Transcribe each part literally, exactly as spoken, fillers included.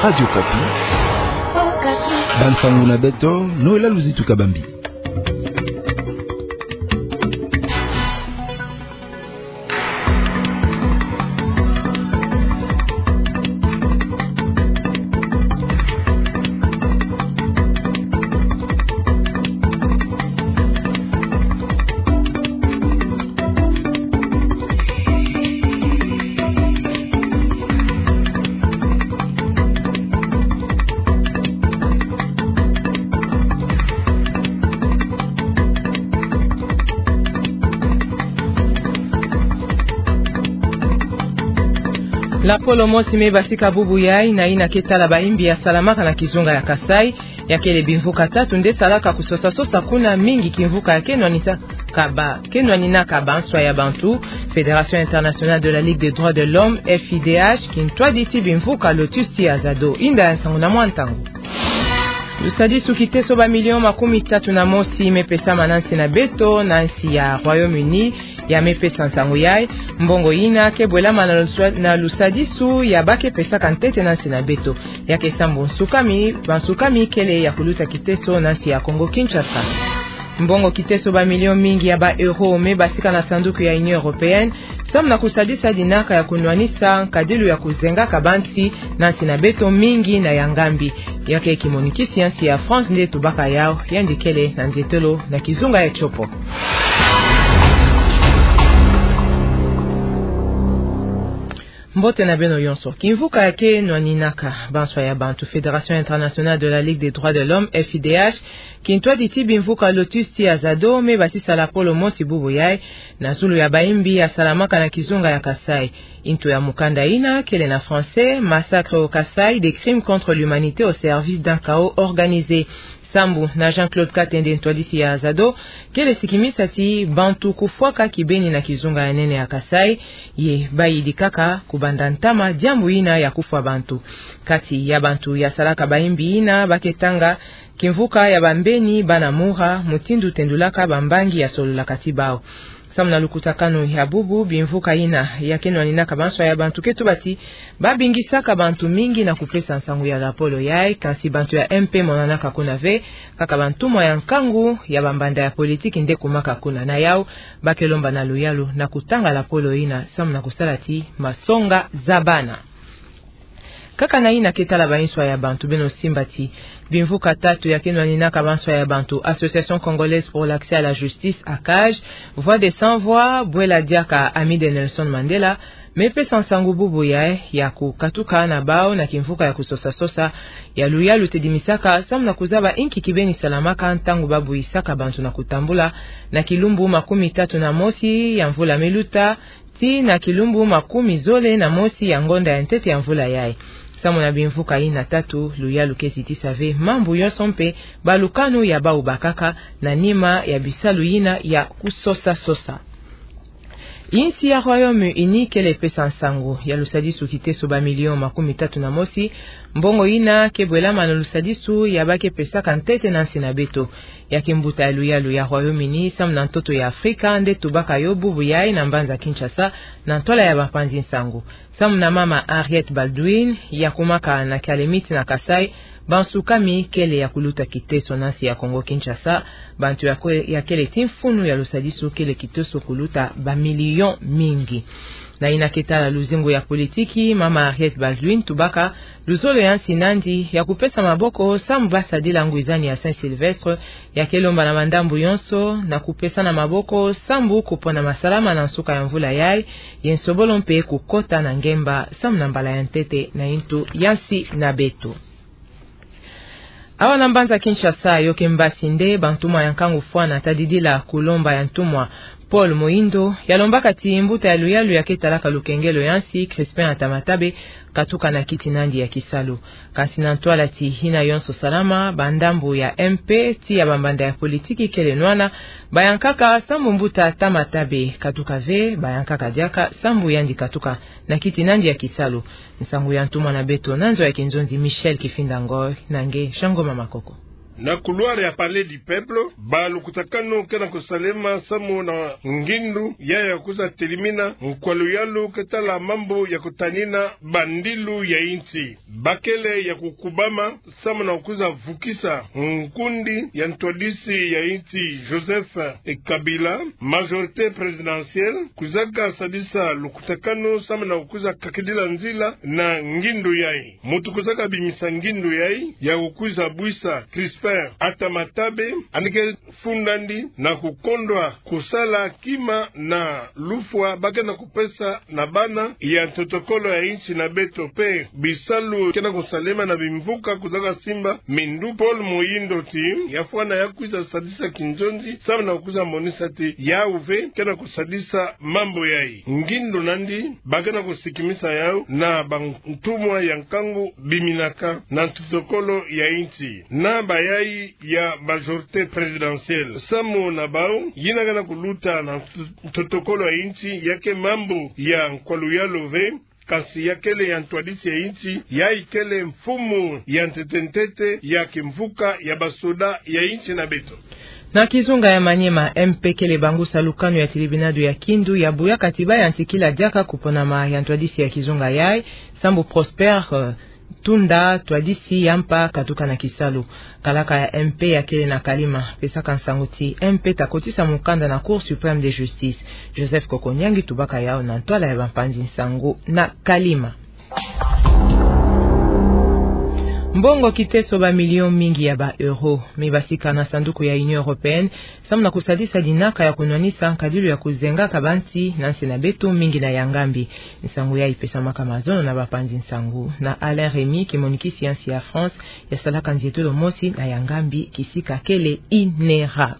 Radio Okapi. Bansangu na beto, Noëlla Luzitu Kabambi. Lapolo mosi me basika bubu yai na yina ke tala baimbi ya salamaka na kizunga ya Kasaï, ya kele bimvuka tatu nde salaka kusosa-sosa kuna, mingi kimvuka ya ke nwaninaka ba, ke nwaninaka banswa ya bantu, Fédération Internationale de la Ligue des Droits de l'Homme, F I D H, kintwaditi bimvuka Lotus tia Azado. Inda ya nsangu na mwa ntangu. Lusadisu kiteso ba million makumi tatu na mosi me pesama na nsi na beto, na nsi ya Royaume-Uni, ya me pesa nsangu yai. Mbongo yina ke bwelama na luswa-, na lusadisu ya ba ke pesaka ntete na nsi na beto. Ya ke sambu nsukami, bansukami kele ya kuluta kiteso na nsi ya Kongo-Kinshasa. Mbongo kiteso ba million mingi ya ba euro me basika na sanduku ya Union Européenne, samu na kusadisa dinaka ya kunwanisa nkadilu ya kuzengaka bansi na nsi na beto, mingi na ya ngambi. Ya ke kimonikisi ya nsi ya France nde tubaka yau, yandi kele na nzietolo na kizunga ya tiopo. Mbote na beno yonso. Kimvuka ya ke nwaninaka banswa ya bantu, Fédération Internationale de la Ligue des Droits de l'Homme, F I D H, kintwaditi bimvuka Lotus tia Azado me basisa lapolo mosi bubu yai, na zulu ya baimbi ya salamaka na kizunga ya Kasaï. Intu ya mukanda yina kele na français: Massacre au Kasaï, des crimes contre l'humanité au service d'un chaos organisé. Sambu na Jean-Claude Katende, ntwadisi ya Azado, kele sikimisa ti bantu kufwaka kibeni na kizunga ya nene ya Kasaï, ye bayidikaka kubanda ntama diambu yina ya kufwa bantu. Kati ya bantu ya salaka baimbi yina, ba ke tanga kimvuka ya bambeni bana mura, mutindu tendulaka bambangi ya sololaka ti bau. Samu na lukutakanu ya bubu, bimvuka yina ya ke nwaninaka banswa ya bantu ke tuba ti ba bingisaka bantu mingi na kupesa nsangu ya lapolo yai, kansi bantu ya M P monanaka kuna ve, kaka bantumwa ya nkangu ya bambanda ya politiki nde kumaka kuna. Na yau, ba ke lomba na luyalu na kutanga lapolo yina, samu na kusala ti masonga zabana. Kaka na yina ke tala banswa ya bantu, beno simba ti bimvuka tatu ya ke nwaninaka banswa ya bantu, Association Congolaise pour l'Accès à la Justice, ACAJ, Voix des Sans Voix, bwela diaka Ami de Nelson Mandela, me pesa nsangu bubu yai ya kukatuka na bau na kimvuka ya kusosa-sosa, ya luyalu tedimisaka samu na kuzaba inki kibeni salamaka ntangu ba buisaka bantu na kutambula, na kilumbu makumi tatu na mosi ya mvula me luta, tii na kilumbu makumi zole na mosi ya ngonda ya ntete ya mvula yai. Samu na bimvuka yina tatu, luyalu ke zitisa ve mambu yonso mpe balukanu ya bau bakaka na nima ya bisalu yina ya kusosa-sosa. Insi ya Royaume-Uni kele pesa nsangu ya lusadisu kiteso ba million makumi tatu na mosi, mbongo yina ke bwelama na lusadisu ya ba ke pesaka ntete na nsi na beto. Ya ke mbuta ya luyalu ya Royaume-Uni samu na ntoto ya Afrika nde tubaka yo bubu yai na mbanza Kinshasa, na ntwala ya bampanzi nsangu. Samu na mama Harriet Baldwin, ya kumaka na Kialemit na Kasaï, bansukami kele ya kuluta kiteso na nsi ya Kongo-Kinshasa, bantu ya kwe-, ya kele ti mfunu ya lusadisu kele kiteso kuluta ba million mingi. Na yina ke tala luzingu ya politiki, mama Harriet Baldwin tubaka luzolo ya nsi nandi ya kupesa maboko samu ba sadila ngwizani ya Saint-Sylvestre, ya ke lomba na mandambu yonso na kupesana maboko samu kupona masalama na nsuka ya mvula yai, ye nsobolo mpe kukota na ngemba samu na mbala ya ntete na intu ya nsi na beto. Awa na mbanza Kinshasa, yo ke mbasi nde bantumwa ya nkangu fwana tadidila kulomba ya ntumwa Paul Moïndo, ya lombaka ti mbuta ya luyalu ya ke talaka lukengelo ya nsi, Crispin Atamatabe, katuka na kiti nandi ya kisalu. Kansi na ntwala ti hina yonso salama, bandambu ya M P tii ya bambanda ya politiki kele nwana, bayankaka samu mbuta Atamatabe katuka ve, bayankaka diaka samu yandi katuka na kiti nandi ya kisalu. Nsangu ya ntumwa na beto na nzo ya kinzonzi Michel Kifinda Ngoy, na nge Jean Ngoma Makoko. Na couloir ya Palais du Peuple, balukutakanu ke na kusalema samu na ngindu ya ya kwiza telimina nkwa luyalu ke tala mambu ya kutanina bandilu ya insi. Bakele ya kukubama samu na kwiza vukisa nkundi ya ntwadisi ya insi Joseph Kabila, majorité présidentielle, kwizaka sadisa lukutakanu samu na kwiza kakidila nzila na ngindu yayi. Muntu kwizaka bimisa ngindu yayi ya kukwiza bwisa Crispin Atamatabe, yandi ke funda ndi na kukondwa kusala kima na lufwa ba ke na kupesa na bana ya ntotokolo ya insi na beto mpe bisalu ke na kusalema na bimvuka kwizaka simba minduki. Paul Muhindo ti ya fwana ya kwiza sadisa kinzonzi samu na kwiza monisa ti yawu ve ke na kusadisa mambu yayi. Ngindu na ndi ba ke na kusikimisa yawu na bantumwa ya nkangu biminaka na ntotokolo ya insi. Na bayayi ya majorité présidentielle, samu na bawu, yina ke na kuluta na ntotokolo ya insi ya ke mambu ya nkwa luyalu ve, kasi ya kele ya ntwadisi ya insi, yayi kele mfumu ya ntete-ntete ya kimvuka ya basoda ya insi na beto. Na kizunga ya Maniema, M P kele bangusa lukanu ya tilibinadu ya Kindu ya buyaka ti ba yantikila diaka kuponama ya ntwadisi ya kizunga yayi, sambu Prosper, eh, Tunda, ntwadisi ya mpa katuka na kisalu. Kalaka ya M P ya kele na Kalima pesaka nsangu ti M P ta kotisa mukanda na Cour suprême de justice. Joseph Kokonyangi tubaka yawu na ntwala ya bampanzi nsangu na Kalima. Mbongo kiteso ba millions mingi ya ba euros me basika na sanduku ya Union européenne, samu na kusadisa dinaka ya kunwanisa nkadilu ya kuzengaka bansi na nsi na beto, mingi na ya Ngambi. Nsangu yayi pesamaka mazono na bapanzi nsangu na Alain Rémy, kimonikisi ya nsi ya France ya salaka nzietolo mosi na ya Ngambi, kisika kele INERA.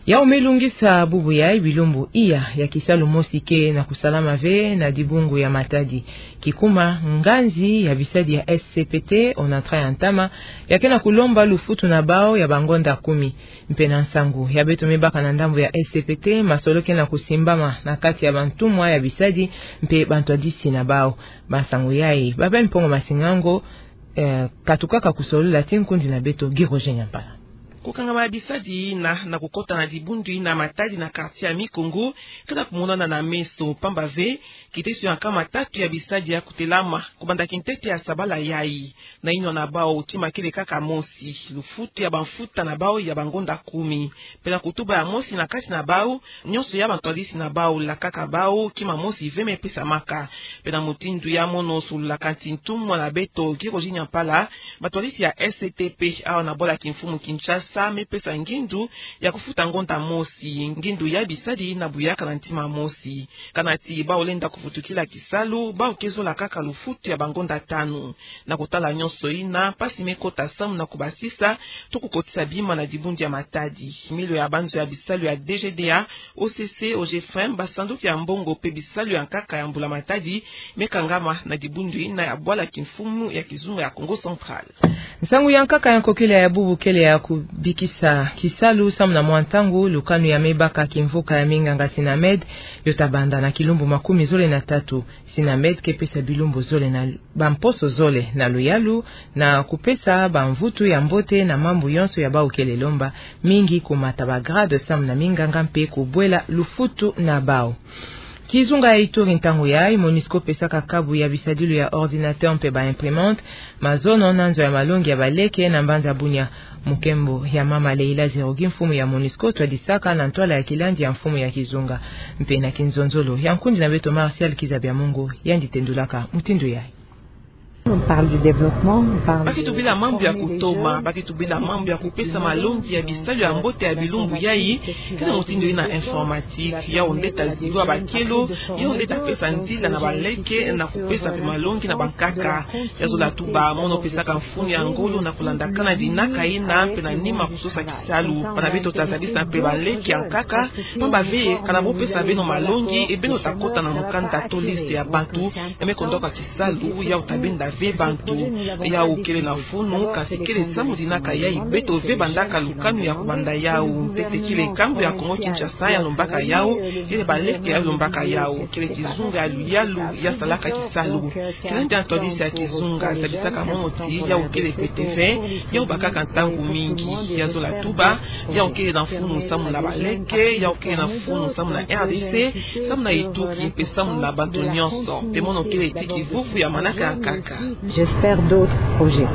Yawu me lungisa bubu yayi bilumbu iya ya kisalu mosi ke na kusalama ve na dibungu ya Matadi. Kikuma, nganzi ya bisadi ya S C P T, Onatra ya ntama, ya ke na kulomba lufutu na bawu ya bangonda kumi. Mpe na nsangu ya beto me baka na ndambu ya S C P T, masolo ke na kusimbama na kati ya bantumwa ya bisadi mpe bantwadisi na bawu. Bansangu yayi ba Ben Mpongo Masingango, eh, katukaka kusolola ti nkundi na beto Guy Roger Nyampala. Kukangama ya bisadi yina na kukota na dibundu yina Matadi na quartier ya Mikungu ke na kumonana na meso, pamba ve kiteso ya nkama tatu ya bisadi ya kutelama kubanda kintete ya sabala yayi. Na yinwa na bawu kima kele kaka mosi: lufutu ya bamfuta na bawu ya bangonda kumi. Mpe na kutuba ya mosi na kati na bawu, nyonso ya bantwadisi na bawu lakaka bawu kima mosi ve me pesamaka. Mpe na mutindu ya mono sololaka nti ntumwa na beto Guy Roger Nyampala, bantwadisi ya S C P T, awa na bwala kimfumu Kinshasa, me pesa ngindu ya kufuta ngonda mosi ngindu ya bisadi na buyaka na ntima mosi. Kana ti bawu lenda kuvutukila kisalu, bawu ke zola kaka lufutu ya bangonda tanu. Na kutala nyonso yina, mpasi me kota samu na kubasisa to kukotisa bima na dibundu ya Matadi. Milio ya banzo ya bisalu ya D G D A, O C C, O G F M, basanduku ya mbongo mpe bisalu ya nkaka ya mbula Matadi me kangama na dibundu yina ya bwala kimfumu ya kizunga ya Kongo Central. Nsangu ya nkaka ya nkokila ya bubu kele ya kubikisa kisalu samu na mwa ntangu lukanu ya me baka kimvuka ya minganga Sinamed, yo ta banda na kilumbu makumi zole na tatu. Sinamed ke pesa bilumbu zole na bamposo zole na luyalu na kupesa bamvutu ya mbote na mambu yonso ya bawu kele lomba, mingi kumata ba grade samu na minganga mpe kubwela lufutu na bawu. Kizunga ya Ituri, ntangu yayi MONUSCO pesaka kabu ya bisadilu ya ordinateur mpe ba imprimante mazono na nzo ya malongi ya baleke na mbanza Bunia. Mukembo ya mama Leila Zerogi, mfumu ya MONUSCO, twadisaka na ntwala ya kilandi ya mfumu ya kizunga. Mpe na kinzonzolo ya nkundi na beto Martial Kizabiamungu, yandi tendulaka mutindu yayi. On parle du développement, on parle... Ba ke tubila mambu ya kutoma, ba ke tubila mambu ya kupesa malongi ya bisalu ya mbote ya bilumbu yayi, ke na mutindu yina informatique, yawu nde ta ziba bakelo, yawu nde ta pesa nzila na baleke na kupesa mpe malongi na bankaka. Ya zola tuba, mono pesaka mfunu ya ngolo na kulandakana dinaka yina mpe na nima kusosa kisalu. Bana beto ta zadisa mpe baleke ya nkaka, pamba ve kana bo pesa beno malongi, e beno ta kota na mukanda to liste ya bantu ya me kondwaka kisalu, yawu ta benda ve mpandu. Yau kele na funu, kansi kele samu dinaka yai beto ve bandaka lukanu ya kubanda yau. Ntete kele nkangu ya Kongo Kinshasa ya lombaka yau, kele baleke ya lombaka yau, kele kizunga ya luyalu ya salaka kisalu. Kele ndia ntwadisi ya kizunga zabisaka mono ti yau kele pete ve, yau bakaka ntangu mingi. Ya zola tuba, yau kele na funu samu na baleke, yau kele na funu samu na R D C, samu na Ituki, mpe samu na bantu nyonso. Mpe mono kele ti kivuvu ya manaka nkaka. J'espère d'autres projets.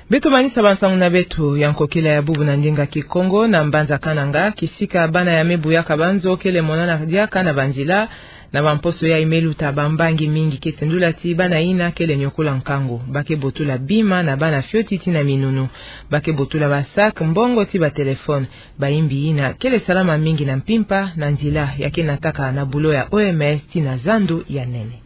Beto manisa bansangu na beto ya nkokila ya bubu na ndinga Kikongo na mbanza Kananga, kisika bana ya mibu ya kabanzo kele monana diaka na banzila, na bamposo yai me luta bambangi mingi kete ndula ti bana ina kele niokola nkangu. Ba ke botula bima na bana fioti ti na minunu. Ba ke botula ba sac, mbongo ti ba téléphone. Bayimbi ina kele salama mingi na mpimpa na nzila ya ke nataka na bulo ya O M S ti na zandu ya nene.